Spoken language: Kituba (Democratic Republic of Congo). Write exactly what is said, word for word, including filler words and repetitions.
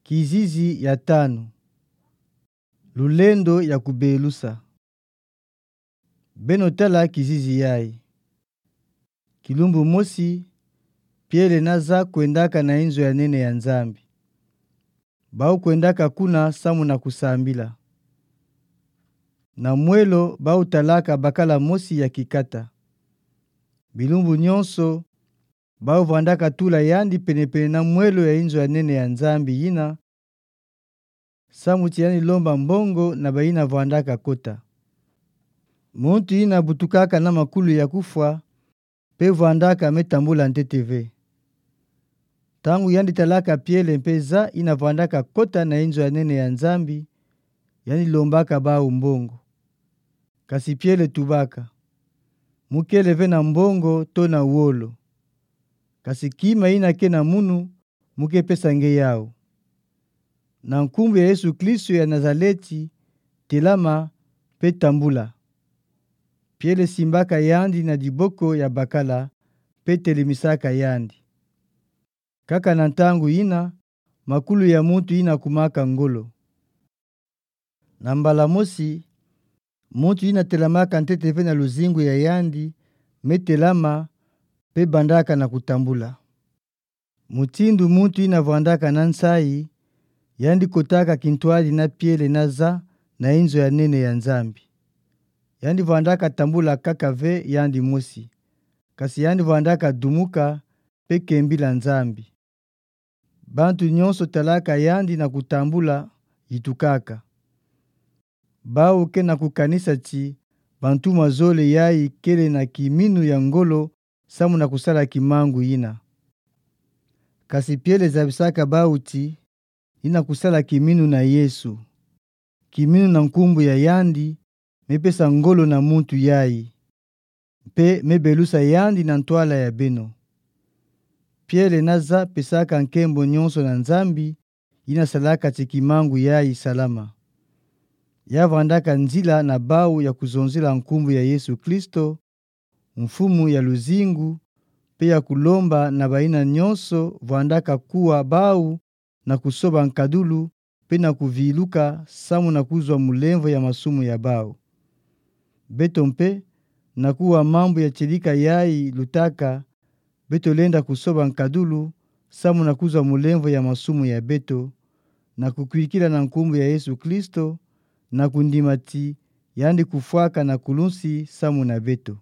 Kizizi ya tanu. Lulendo ya kubelusa. Beno tala kizizi yayi. Kilumbu mosi, Piele na Za kwendaka na inzo ya nene ya Nzambi. Bau kwendaka kuna samu na kusambila. Na mwelo bau talaka bakala mosi ya kikata. Bilumbu nyonso, bau vwandaka tula yandi pene-pene na mwelo ya inzo ya nene ya Nzambi yina, samu ti yandi lomba mbongo na bayina vwandaka kota. Muntu yina butukaka na makulu ya kufwa, pe vwandaka me tambula ntete ve. Ntangu yandi talaka Piele mpe Za yina vwandaka kota na inzo ya nene ya Nzambi, yandi lombaka bau mbongo. Kasi Piele tubaka: Mu kele ve na mbongo to na wolo. Kasi kima yina ke na munu, mu ke pesa nge yau. Na nkumbu ya Yesu Kristo ya Nazaleti, telama, pe tambula. Piele simbaka yandi na diboko ya bakala, pe telemisaka yandi. Kaka na ntangu yina, makulu ya muntu yina kumaka ngolo. Na mbala mosi, muntu yina telamaka ntete ve na luzingu ya yandi, me telama, pe bandaka na kutambula. Mutindu muntu yina vwandaka na nsayi, yandi kotaka kintwadi na Piele na Za na inzo ya nene ya Nzambi. Yandi vwandaka tambula kaka ve yandi mosi, kasi yandi vwandaka dumuka, pe kembila Nzambi. Bantu nyonso talaka yandi na kutambula, yitukaka. Bau ke na kukanisa ti bantu mazole yayi kele na kiminu ya ngolo samu na kusala kimangu yina. Kasi Piele zabisaka bau ti yina kusala kiminu na Yesu. Kiminu na nkumbu ya yandi, me pesa ngolo na muntu yayi, mpe me belusa yandi na ntwala ya beno. Piele na Za pesaka nkembo nyonso na Nzambi, yina salaka ti kimangu yayi salama. Ya vwandaka nzila na bau ya kuzonzela nkumbu ya Yesu Kristo, Mfumu ya luzingu, mpe ya kulomba na bayina nyonso vwandaka kuwa bau na kusoba nkadulu, mpe na kuviluka samu na kuzwa mulemvo ya masumu ya bau. Beto mpe, na kuwa mambu ya tielika yayi lutaka, beto lenda kusoba nkadulu samu na kuzwa mulemvo ya masumu ya beto, na kukwikila na nkumbu ya Yesu Kristo, na kundima ti yandi kufwaka na kulunsi samu na beto.